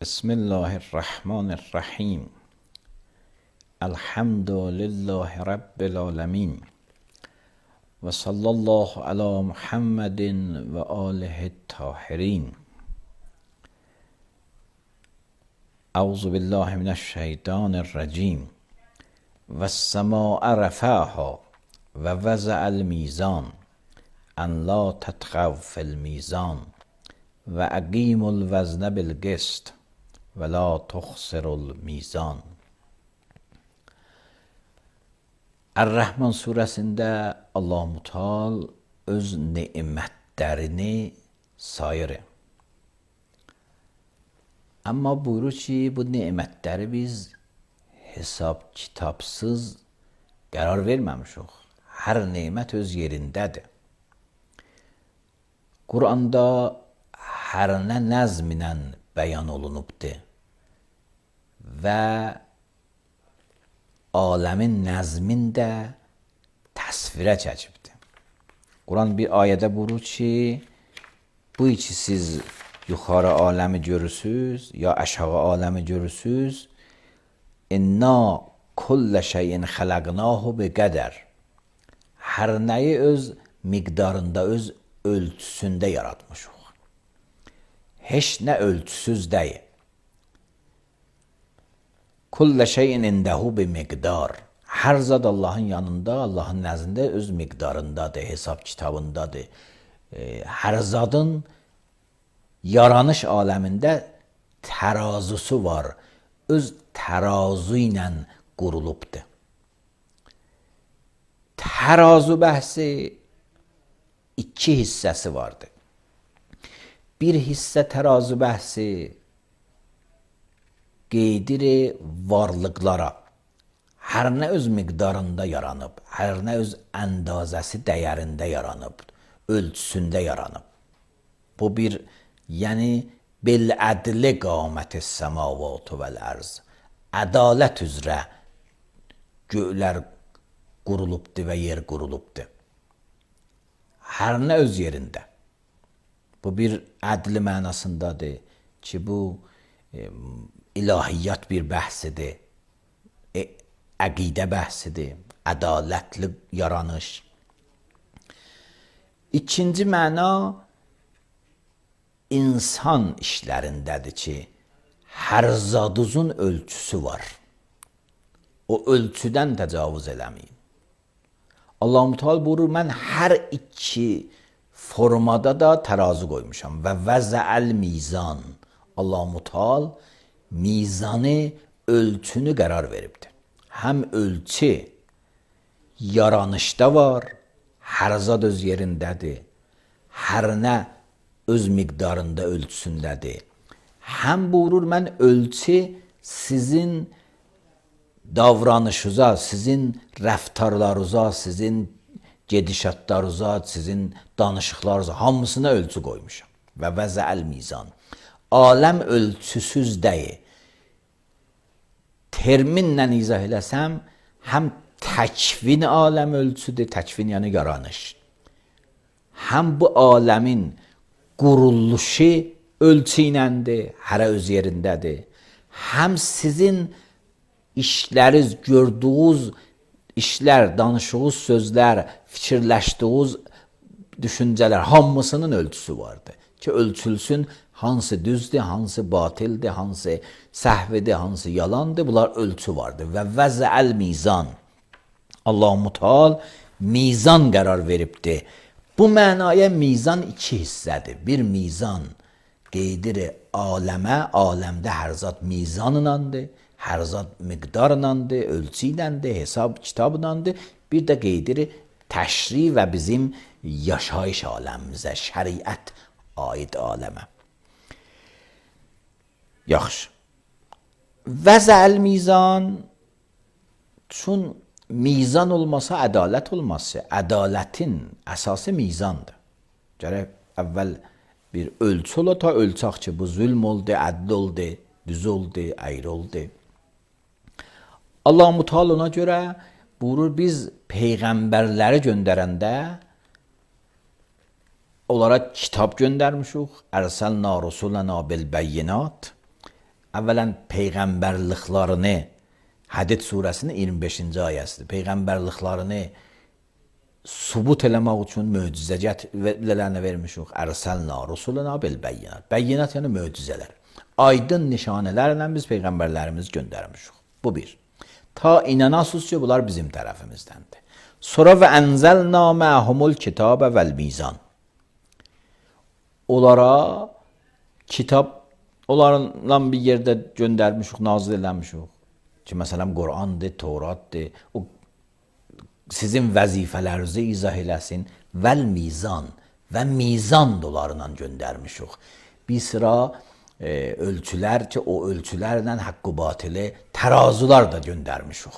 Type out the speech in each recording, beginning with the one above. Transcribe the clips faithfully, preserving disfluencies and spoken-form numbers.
بسم الله الرحمن الرحیم. الحمد لله رب العالمین و صلی الله علی محمد و آله الطاهرین. اعوذ بالله من الشیطان الرجیم. و السماء رفعها و وضع المیزان ان لا تطغوا فی المیزان و اقیموا الوزن بالقسط ولا تخسروا المیزان. Er-Rəhman surəsində Allah-u Teala öz nemətlərini sayır. Amma buyurur ki, bu nemətləri biz hesab kitabsız qərar verməmişik. Hər nemət öz yerindədir. Quranda hər nə nəzminə bəyan olunubdur və aləmin nəzmin də təsvirə çəkibdir. Quran bir ayədə buyurur ki, bu ki siz yuxarı aləmi görürsünüz ya aşağı aləmi görürsünüz, inna kullə şeyin xələqnahu bi qədər. Hər nəyi öz miqdarında, öz ölçüsündə yaratmışıq. Heç nə ölçüsüz deyil. Kullə şeyin indəhu bi miqdar. Hər zad Allahın yanında, Allahın nəzdində öz miqdarındadır, hesab kitabındadır. Hər zadın yaranış aləmində tərazusu var. Öz tərazu ilə qurulubdur. Tərazu bəhsi iki hissəsi vardır. Bir hissə tərazu bəhsi qeydir varlıqlara, hər nə öz miqdarında yaranıb, hər nə öz əndazəsi dəyərində yaranıb, ölçüsündə yaranıb. Bu bir, yəni bil ədli qamətis səmavatu vəl ərz. Ədalət üzrə göylər qurulubdur və yer qurulubdur. Hər nə öz yerində. Bu bir ədli mənasındadır ki, bu e, ilahiyyat bir bəhsidir, e, əqidə bəhsidir, ədalətli yaranış. İkinci məna insan işlərindədir ki, hər zaduzun ölçüsü var. O ölçüdən təcavüz eləməyin. Allah-u Teala buyurur, mən hər iki formada da tərazu qoymuşam və vəzəəl mizan. Allah-u Teala mizanı, ölçünü qərar veribdir. Həm ölçü yaranışda var, hər zad öz yerindədir, hər nə öz miqdarında, ölçüsündədir. Həm buyurur, mən ölçü sizin davranışınıza, sizin rəftarlarınıza, sizin gedişatlarınıza, sizin danışıqlarınıza, hamısına ölçü qoymuşam. Və vəzəəl mizan. Aləm ölçüsüz deyil. Terminlə izah eləsəm, həm təkvin aləm ölçüdür, təkvin yəni yaranış. Həm bu aləmin quruluşu ölçü iləndir, hərə öz yerindədir. Həm sizin işləriniz, gördüyünüz işlər, danışdığınız sözlər, fikirləşdiyiniz düşüncələr, hamısının ölçüsü vardır. Ki, ölçülsün, hansı düzdür, hansı batildir, hansı səhvidir, hansı yalandır, bunlar ölçü vardır. Və vəzəəl mizan. Allah-u Teala mizan qərar veribdir. Bu mənaya mizan iki hissədir. Bir mizan qeydir aləmə, aləmdə hər zat mizanınandır, hər zat miqdarınandır, ölçü iləndir, hesab kitabınandır. Bir də qeydir təşri və bizim yaşayış aləmimizə, şəriət aid aləmə. Yaxşı. Vəzəəl mizan, çün mizan olmasa ədalət olmazsa, ədalətin əsası mizandır. Gərək əvvəl bir ölçü ola ta ölçək ki, bu zülm oldu, ədl oldu, düz oldu, əyri oldu. Allah-u Teala ona görə buyurur, biz peyğəmbərləri göndərəndə onlara kitab göndərmişik. Ərsəlna rusulana bil bəyyinat. əvvələn peyğəmbərliklərini, Hədid surəsinin iyirmi beşinci ayəsidir. Peyğəmbərliklərini subut eləmək üçün möcüzələrini vermişik. Ərsəlna rusuluna bil bəyyinat. Bəyyinat yəni möcüzələr. Aydın nişanələrlə biz peyğəmbərlərimizi göndərmişik. Bu bir. Ta inanasız ki, bunlar bizim tərəfimizdəndir. Sonra və ənzəlna məhumul kitabə vəl mizan. Onlara kitab, onlarla bir yerdə göndərmişik, nazil eləmişik. Ki, məsələn, Qur'andır, Tevratdır. O sizin vəzifələrinizi izah eləsin. Vəl mizan və mizan dolarla göndərmişik. Bir sıra e, ölçülər ki, o ölçülərlə haqqı batili tərazular da göndərmişik.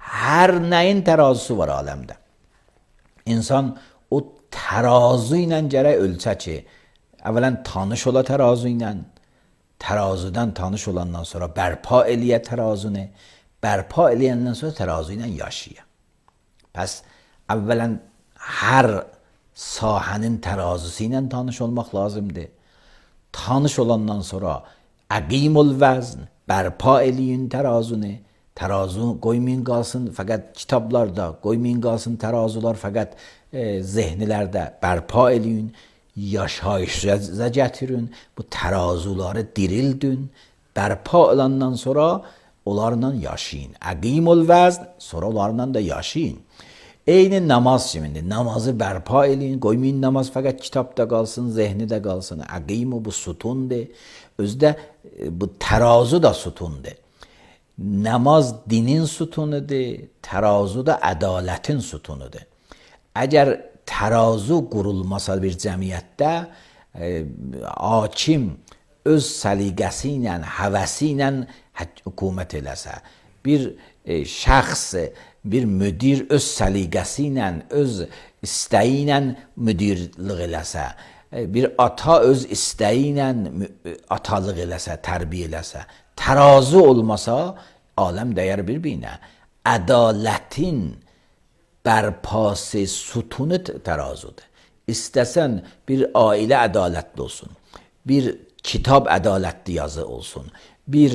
Hər nəyin tərazısı var aləmdə. İnsan o tərazu ilə gərək ölçə ki, əvvələn tanış ola tərazu ilə, tərazudan tanış olandan sonra bərpa eləyə tərazunu, bərpa eləyəndən sonra tərazu ilə yaşaya. Pəs əvvələn hər sahənin tərazısı ilə tanış olmaq lazımdır. Tanış olandan sonra əqimul vəzn, bərpa eləyin tərazunu, tərazu qoymayın qalsın fəqət kitablarda, qoymayın qalsın tərazular fəqət e, zehnilərdə, bərpa eləyin, yaşayışa gətirin, bu tərazuları dirildin, bərpa olandan sonra onlarla yaşayın. Əqimul vəzn, sonra onlarla da yaşayın. Eyni namaz kimidir. Namazı bərpa eləyin, qoymayın namaz fəqət kitabda qalsın, zehni də qalsın. Əqimu bu sütundur. Özdə bu tərazu da sütundur. Namaz dinin sütunudur, tərazu da ədalətin sütunudur. Əgər tərazu qurulmasa bir cəmiyyətdə, e, hakim öz səliqəsi ilə, həvəsi ilə hökumət eləsə, bir e, şəxs, bir müdir öz səliqəsi ilə, öz istəyi ilə müdirlik eləsə, e, bir ata öz istəyi ilə atalıq eləsə, tərbiyə eləsə, tərazu olmasa, aləm dəyər bir-birinə. Ədalətin bərpası sütunu tərazudur. İstəsən bir ailə ədalətli olsun, bir kitab ədalətli yazı olsun, bir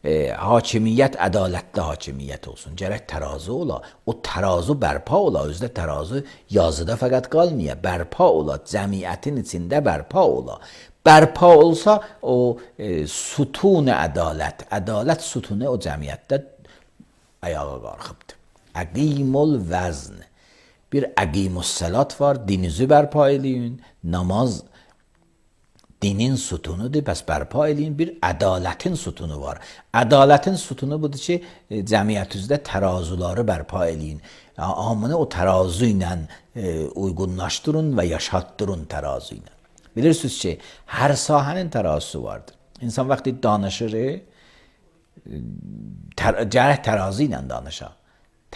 e, hakimiyyət ədalətli hakimiyyət olsun. Gərək tərazu ola, o tərazu bərpa ola, özdə tərazu yazıda fəqət qalmaya, bərpa ola, cəmiyyətin içində bərpa ola. Bərpa olsa o e, sütun ədalət, ədalət sütunu o cəmiyyətdə ayağa qalxıbdır. Əqimul vəzn. Bir əqimus salat var, dinizi bərpa eləyin, namaz dinin sütunudur, bəs bərpa eləyin, bir ədalətin sütunu var. Ədalətin sütunu budur ki, cəmiyyətinizdə tərazuları bərpa eləyin. Hamını o tərazu ilə e, uyğunlaşdırın və yaşatdırın tərazu ilə. Bilirsiniz ki, hər sahənin tərazusu vardır. İnsan vaxtı danışır, tər, gərək tərazu ilə danışa.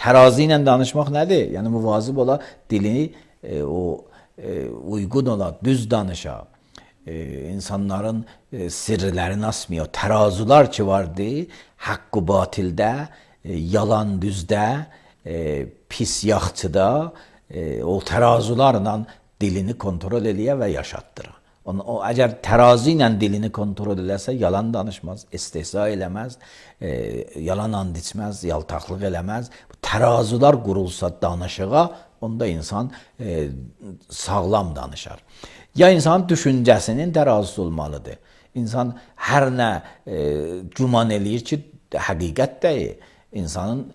Tərazi ilə danışmaq nədir? Yəni müvazib ola, dilini e, o e, uyğun ola, düz danışa. E, insanların e, sirrlərini asmıyor. Tərazular ki vardı, haqqı batildə, e, yalan düzdə, e, pis yaxçıda, e, o tərazularla dilini kontrol eləyə və yaşatdıra. Onu, o, əgər tərazi ilə dilini kontrol eləsə, yalan danışmaz, istehza eləməz, e, yalan and içməz, yaltaqlıq eləməz. Tərazular qurulsa danışığa, onda insan e, sağlam danışar. Ya insanın düşüncəsinin tərazisi olmalıdır. İnsan hər nə e, güman eləyir ki, həqiqət deyil. İnsanın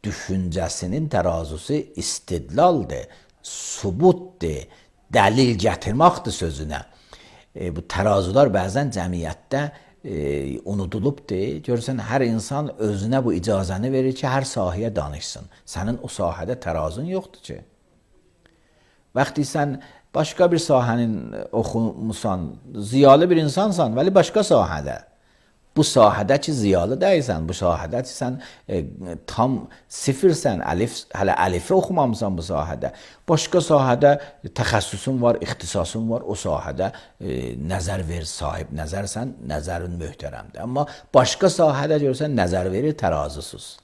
düşüncəsinin tərazisi istidlaldır, subutdur, dəlil gətirməkdir sözünə. E, bu tərazular bəzən cəmiyyətdə e, unudulubdur. Görürsən, hər insan özünə bu icazəni verir ki, hər sahəyə danışsın. Sənin o sahədə tərazun yoxdur ki. Vaxtı sən başqa bir sahənin oxumusan, ziyalı bir insansan, vəli başqa sahədə. Bu sahədə ki, ziyalı deyilsən, bu sahədə ki, sən e, tam sifirsən, əlif, hələ əlifi oxumamısan bu sahədə. Başqa sahədə təxəssüsün var, ixtisasın var, o sahədə e, nəzər ver, sahib nəzərsən, nəzərin möhtərəmdir. Amma başqa sahədə görsən, nəzər verir tərazısız.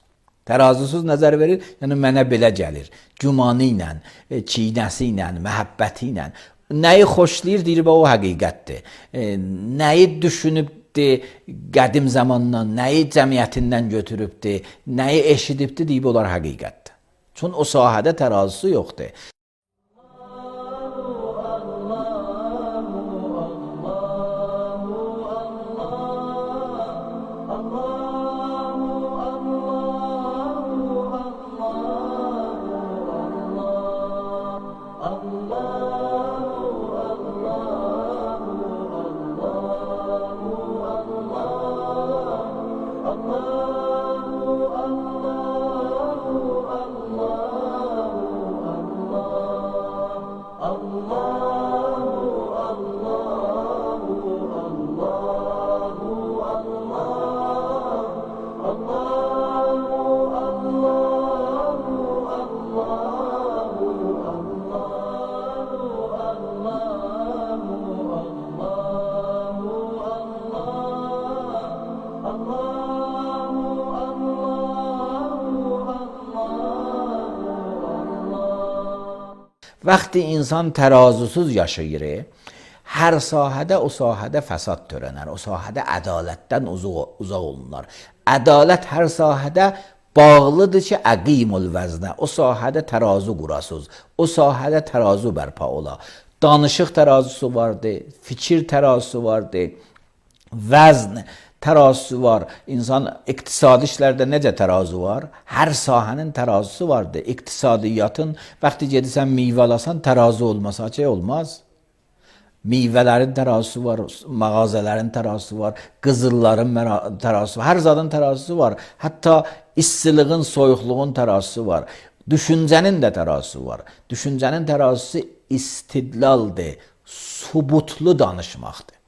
Tərazısız nəzər verir, yəni mənə belə gəlir, gümanı ilə, e, çiynəsi ilə, məhəbbəti ilə. Nəyi xoşlayır, deyir, o həqiqətdir. E, nəyi düşünüb eşitdi qədim zamandan, nəyi cəmiyyətindən götürübdi, nəyi eşidibdi deyib olar həqiqətdir. Çünki o sahədə tərazisi yoxdur. Vəqti insan tərazusuz yaşayır, hər sahədə o sahədə fəsad törənər, o sahədə ədalətdən uzaq, uzaq olunlar. Ədalət hər sahədə bağlıdır ki, əqimul vəznə, o sahədə tərazu qurasız, o sahədə tərazu bərpa ola. Danışıq tərazusu vardır, fikir tərazusu vardır, vəzn tərazusu var. İnsan iqtisadi işlərdə necə tərazu var? Hər sahənin tərazusu vardır. İqtisadiyyatın, vaxtı gedirsən meyvə alasan, tərazu olmasa şey olmaz. Meyvələrin tərazusu var, mağazaların tərazusu var, qızılların tərazusu var, hər zadın tərazusu var. Hətta istilığın, soyuqluğun tərazusu var. Düşüncənin də tərazusu var. Düşüncənin tərazusu istidlaldır, subutlu danışmaqdır.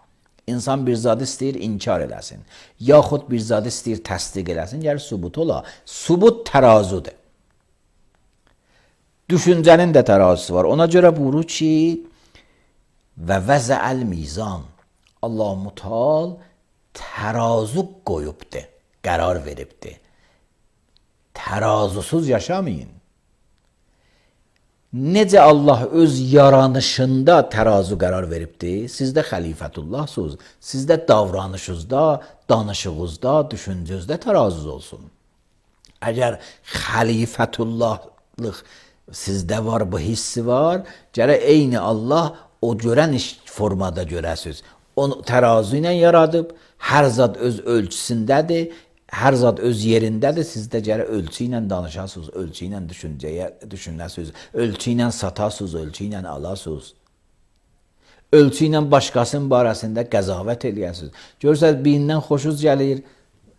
İnsan bir zadı istəyir inkar eləsin, yaxud bir zadı istəyir təsdiq eləsin, gəlir subut ola. Subut tərazudur. Düşüncənin də tərazusu var. Ona görə buyurur ki, və vəzəəl mizan, Allah Mutal tərazu qoyubdur, qərar veribdir. Tərazusuz yaşamayın. Necə Allah öz yaranışında tərazu qərar veribdir, siz də xəlifətullahsınız, siz də davranışınızda, danışığınızda, düşüncənizdə tərazuz olsun. Əgər xəlifətullahlıq sizdə var, bu hissi var, gərək eyni Allah o görən iş formada görəsiniz. Onu tərazu ilə yaradıb, hər zat öz ölçüsündədir, hər zat öz yerindədir, siz də gərək ölçü ilə danışasınız, ölçü ilə düşüncəyə düşünəsiniz, ölçü ilə satasınız, ölçü ilə alasınız. Ölçü ilə başqasının barəsində qəzavət eləyəsiniz. Görürsünüz, birindən xoşunuz gəlir,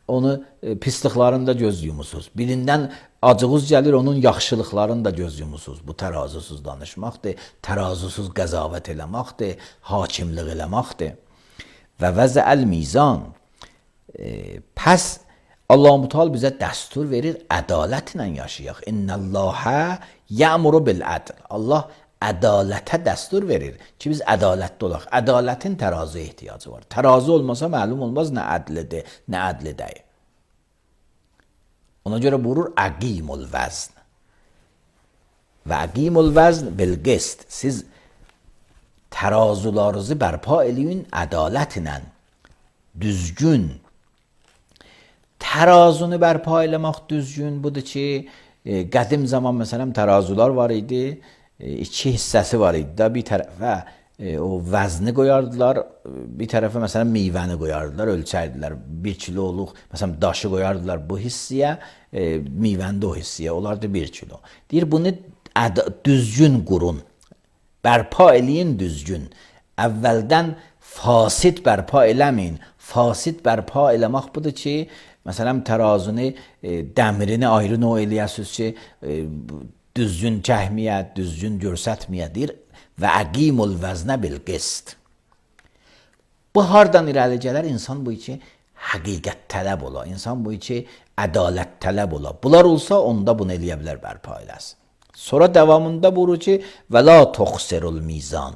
onu pisliklarını da göz yumusunuz. Birindən acığınız gəlir, onun yaxşılıqlarını da göz yumusunuz. Bu tərazusuz danışmaqdır, tərazusuz qəzavət eləməkdir, hakimlik eləməkdir. Və vəzəəl mizan, e, pəs Allah Mutal bizə dəstur verir, ədalətlə yaşayaq. İnnəlləhə yəmuru bil-ədl. Allah ədalətə dəstur verir ki, biz ədalətli olaq. Ədalətin tərazu ehtiyacı var. Tərazu olmasa məlum olmaz nə ədlidir, nə ədli deyil. Ona görə buyurur, əqimul vəzn. Və əqimul vəzn bil-qist. Siz tərazularınızı bərpa eləyin ədalətlə, düzgün. Tərazunu bərpa eləmək düzgün budur ki, e, qədim zaman məsələn tərazular var idi, e, iki hissəsi var idi da, bir tərəfə e, o vəzni qoyardılar, bir tərəfə məsələn meyvəni qoyardılar, ölçərdilər, bir kiloluq məsələn daşı qoyardılar bu hissiyə, e, meyvəni də o hissiyə, olardı bir kilo. Deyir, bunu düzgün qurun, bərpa eləyin düzgün, əvvəldən fasid bərpa eləməyin, fasid bərpa eləmək budur ki, məsələn, tərazunu, e, dəmirini ayrı növ eləyəsiniz ki, e, düzgün cəhmiyə, düzgün görsətməyə deyir və əqimul vəznə bil-qist. Bu hardan irəli gələr? İnsan bu ki, həqiqət tələb ola, insan bu ki, ədalət tələb ola. Bunlar olsa, onda bunu eləyə bilər, bərpa eləsin. Sonra davamında buyurur ki, və la toxsirul mizan.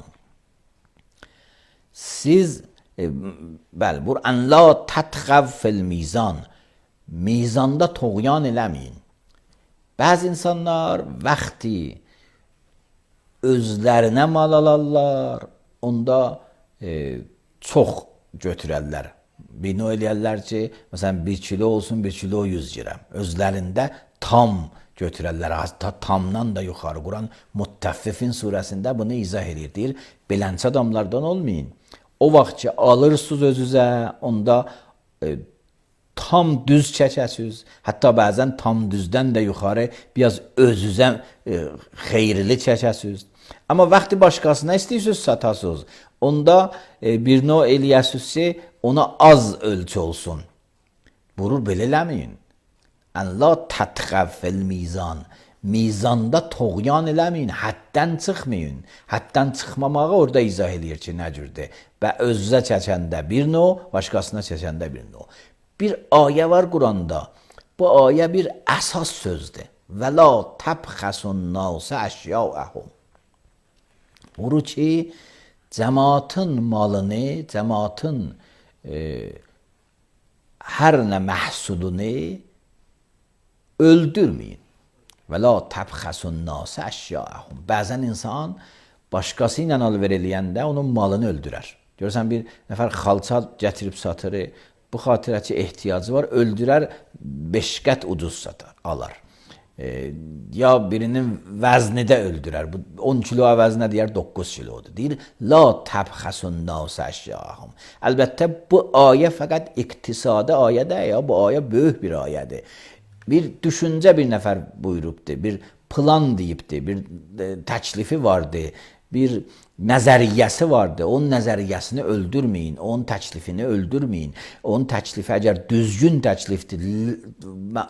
Siz, e, bəli, buyur, ən la tətğəv fil mizan. Mizanda toğyan eləməyin. Bəzi insanlar vaxtı özlərinə mal alarlar, onda e, çox götürərlər bino eləyərlər ki, məsələn bir kilo olsun, bir kilo yüz qram. Özlərində tam götürərlər. Hatta tamdan da yuxarı. Quran Muttəffifin surəsində bunu izah edir. Deyir, belənçi adamlardan olmayın. O vaxt ki alırsınız özünüzə, onda e, tam düz çəkəsiniz. Hətta bəzən tam düzdən də yuxarı biraz özünüzə e, xeyirli çəkəsiniz. Amma vaxtı başqasına istəyirsiniz satasınız. Onda e, bir növ eləyəsiniz ki, ona az ölçü olsun. Burur belə eləməyin. Ən la tətğəv fil mizan. Mizanda toğyan eləməyin, həddən çıxmayın. Həddən çıxmamağı orada izah eləyir ki, nə cürdür. Və özünüzə çəkəndə bir növ, başqasına çəkəndə bir növ. Bir ayə var Quranda. Bu ayə bir əsas sözdür. Və la təbxəsun nasə əşyaəhum. Buru ki, cəmaatın malını, cəmaatın e, hər nə məhsulunu öldürməyin. Və la təbxəsun nasə əşyaəhum. Bəzən insan başqası ilə alver eləyəndə onun malını öldürər. Görürsən, bir nəfər xalça gətirib satır, bu xatirə ki ehtiyacı var, öldürər, beş qət ucuz satar, alar. E, ya birinin vəzni də öldürər. Bu on kilo əvəzinə deyər doqquz kilodur. Deyir, la təbxəsun nasə əşyaəhum. Əlbəttə, bu ayə fəqət iqtisadi ayədir, ya bu ayə böyük bir ayədir. Bir düşüncə bir nəfər buyurubdur, bir plan deyibdir, bir təklifi vardır, bir nəzəriyyəsi vardır. Onun nəzəriyyəsini öldürməyin, onun təklifini öldürməyin. Onun təklifi əgər düzgün təklifdir,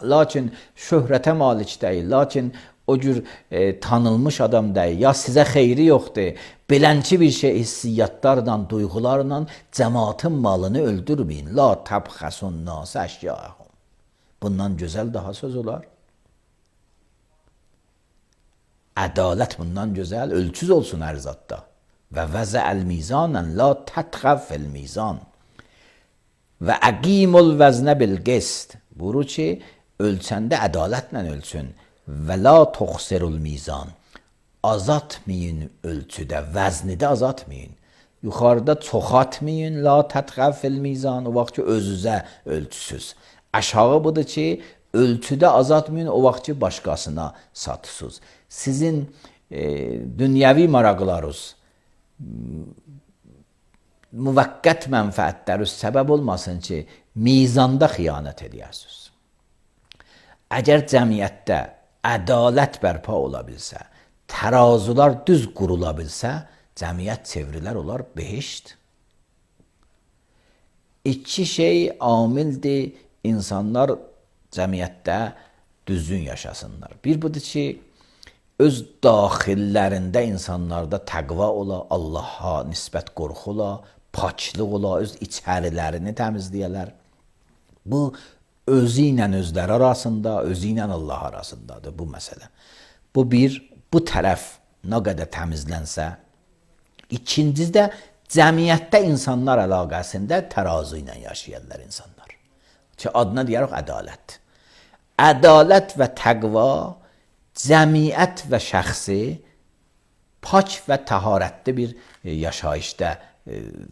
lakin şöhrətə malik deyil, lakin o cür e, tanınmış adam deyil, ya sizə xeyri yoxdur, belənçi bir şey hissiyyatlarla, duyğularla cəmaatın malını öldürməyin. La təbxəsun nasə əşyaəhum. Bundan gözəl daha söz olar. Ədalət bundan gözəl, ölçüz olsun hər zatda. Və vəzəəl mizanən la tətğəv fil mizan. Və əqimul vəznə bil qist. Buyurur ki, ölçəndə ədalətlə ölçün. Və la tuxsirul mizan. Azatmayın ölçüdə, vəznidə azatmayın. Yuxarıda çoxatmayın, la tətğəv fil mizan. O vaxt ki, özünüzə ölçüsüz. Aşağı budur ki, ölçüdə azatmayın, o vaxt ki, başqasına satısınız. Sizin e, dünyəvi maraqlarınız, müvəqqət mənfəətləriniz səbəb olmasın ki, mizanda xiyanət edərsiniz. Əgər cəmiyyətdə ədalət bərpa ola bilsə, tərazular düz qurula bilsə, cəmiyyət çevrilər olar behişt. İki şey amildir, insanlar cəmiyyətdə düzgün yaşasınlar. Bir budur ki, öz daxillərində insanlarda təqva ola, Allaha nisbət qorxu ola, paklıq ola, öz içərilərini təmizləyələr. Bu, özü ilə özləri arasında, özü ilə Allah arasındadır bu məsələ. Bu bir, bu tərəf nə qədər təmizlənsə, ikincisi də cəmiyyətdə insanlar əlaqəsində tərazu ilə yaşayırlar insanlar. Ki adına deyərək ədalət. Ədalət və təqva cəmiyyət və şəxsi pak və təharətli bir yaşayışda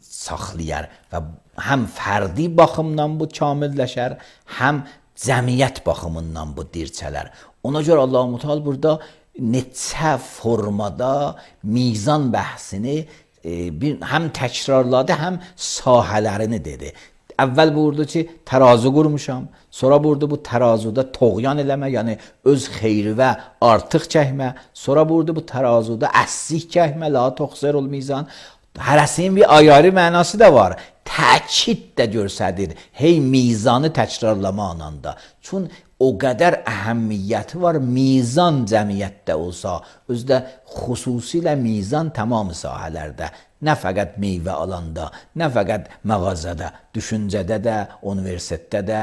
saxlayar və həm fərdi baxımdan bu kamilləşər, həm cəmiyyət baxımından bu dirçələr. Ona görə Allah-u Teala burada neçə formada mizan bəhsini bir, həm təkrarladı, həm sahələrini dedi. Əvvəl buyurdu ki, tərazu qurmuşam. Sonra buyurdu bu tərazuda toğyan eləmə, yəni öz xeyri və artıq çəkmə. Sonra buyurdu bu tərazuda əssik çəkmə, la tuxsirul mizan. Hərəsinin bir ayarı mənası da var. Təkid də görsədir. Hey mizanı təkrarlama ananda. Çün o qədər əhəmmiyyəti var, mizan cəmiyyətdə olsa, özdə xüsusilə mizan tamam sahələrdə, nə fəqət meyvə alanda, nə fəqət mağazada, düşüncədə də, universitetdə də,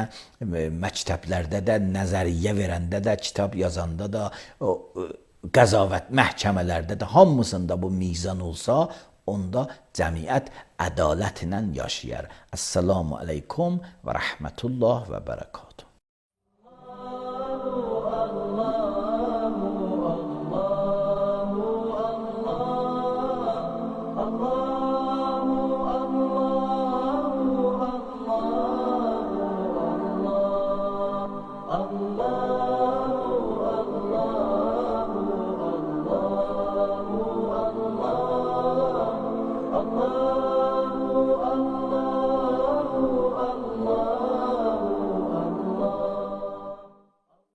məktəblərdə də, nəzəriyyə verəndə də, kitab yazanda da, qəzavət məhkəmələrdə də, hamısında bu mizan olsa, onda cəmiyyət ədalətlə yaşayar. Əssalamu aleykum və rəhmətullah və bərəkət.